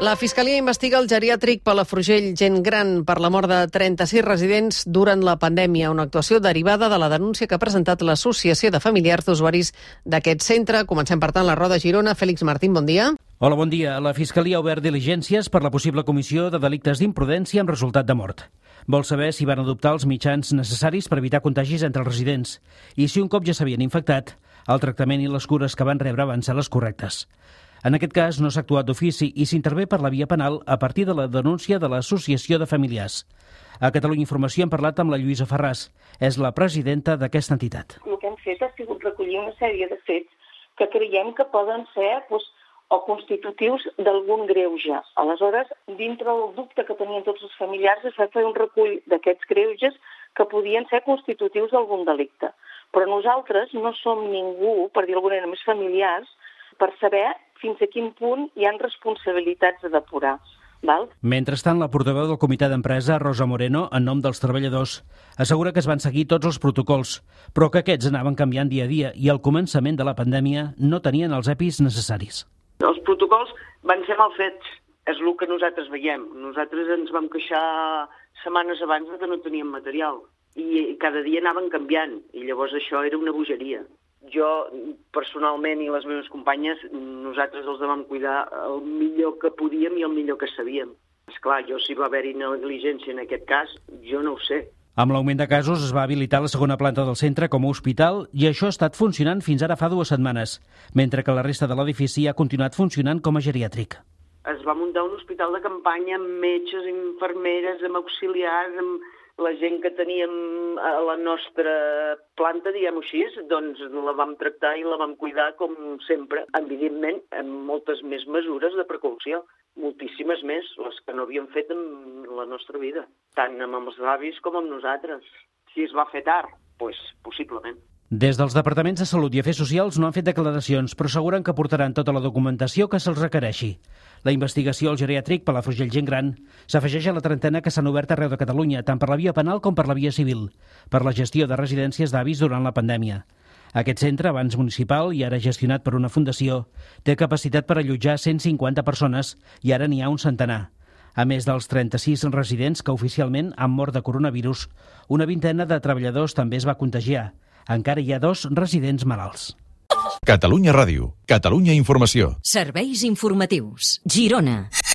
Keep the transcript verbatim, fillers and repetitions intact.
La Fiscalia investiga el geriàtric Palafrugell Gent Gran per la mort de trenta-sis residents durant la pandèmia, una actuació derivada de la denúncia que ha presentat l'Associació de Familiars d'Usuaris d'aquest centre. Comencem, per tant, la roda a Girona. Fèlix Martín, bon dia. Hola, bon dia. La Fiscalia ha obert diligències per la possible comissió de delictes d'imprudència amb resultat de mort. Vol saber si van adoptar els mitjans necessaris per evitar contagis entre els residents i si un cop ja s'havien infectat, el tractament i les cures que van rebre van ser les correctes. En aquest cas no s'ha actuat d'ofici i s'intervé per la via penal a partir de la denúncia de l'Associació de Familiars. A Catalunya Informació hem parlat amb la Lluïsa Ferràs, és la presidenta d'aquesta entitat. El que hem fet ha sigut recollir una sèrie de fets que creiem que poden ser doncs, o constitutius d'algun greuge. Aleshores, dintre del dubte que tenien tots els familiars, es va fer un recull d'aquests greuges que podien ser constitutius d'algun delicte. Però nosaltres no som ningú, per dir d'alguna manera, més familiars, per saber fins a quin punt hi ha responsabilitats a depurar. Val? Mentrestant, la portaveu del comitè d'empresa, Rosa Moreno, en nom dels treballadors, assegura que es van seguir tots els protocols, però que aquests anaven canviant dia a dia i al començament de la pandèmia no tenien els E P Is necessaris. Els protocols van ser mal fets, és el que nosaltres veiem. Nosaltres ens vam queixar setmanes abans que no teníem material i cada dia anaven canviant i llavors això era una bogeria. Jo, personalment, i les meves companyes, nosaltres els vam cuidar el millor que podíem i el millor que sabíem. Esclar, jo si va haver-hi negligència en aquest cas, jo no ho sé. Amb l'augment de casos es va habilitar la segona planta del centre com a hospital i això ha estat funcionant fins ara fa dues setmanes, mentre que la resta de l'edifici ha continuat funcionant com a geriàtric. Es va muntar un hospital de campanya amb metges, infermeres, amb auxiliars, amb la gent que teníem a la nostra planta, diguem-ho així, doncs la vam tractar i la vam cuidar com sempre, evidentment amb moltes més mesures de precaució, moltíssimes més, les que no havíem fet en la nostra vida, tant amb els avis com amb nosaltres. Si es va fer tard, doncs possiblement. Des dels Departaments de Salut i Afers Socials no han fet declaracions, però asseguren que portaran tota la documentació que se'ls requereixi. La investigació al geriàtric Palafrugell Gent Gran s'afegeix a la trentena que s'han obert arreu de Catalunya, tant per la via penal com per la via civil, per la gestió de residències d'avis durant la pandèmia. Aquest centre, abans municipal i ara gestionat per una fundació, té capacitat per allotjar cent cinquanta persones i ara n'hi ha un centenar. A més dels trenta-sis residents que oficialment han mort de coronavirus, una vintena de treballadors també es va contagiar. Encara hi ha dos residents malalts. Catalunya Ràdio, Catalunya Informació. Serveis informatius. Girona.